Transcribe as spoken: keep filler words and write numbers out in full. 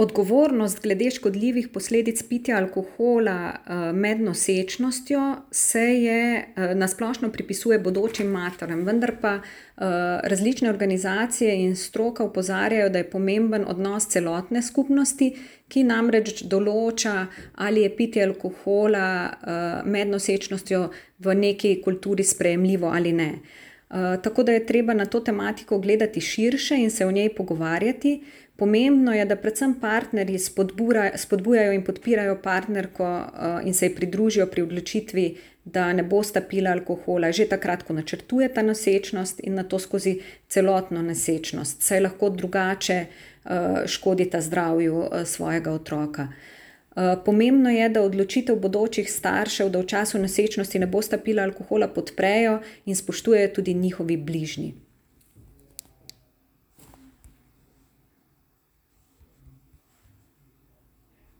Odgovornost glede škodljivih posledic pitja alkohola med nosečnostjo se je na splošno pripisuje bodočim materam, vendar pa različne organizacije in stroka opozarjajo, da je pomemben odnos celotne skupnosti, ki namreč določa, ali je pitje alkohola med nosečnostjo v neki kulturi sprejemljivo ali ne. Tako da je treba na to tematiko gledati širše in se o njej pogovarjati. Pomembno je, da predvsem partnerji spodbujajo in podpirajo partnerko in se ji pridružijo pri odločitvi, da ne bosta pila alkohola že takrat, ko načrtujeta nosečnost in nato skozi celotno nosečnost, saj lahko drugače škodita zdravju svojega otroka. Pomembno je, da odločitev bodočih staršev, da v času nosečnosti ne bosta pila alkohola, podprejo in spoštujejo tudi njihovi bližnji.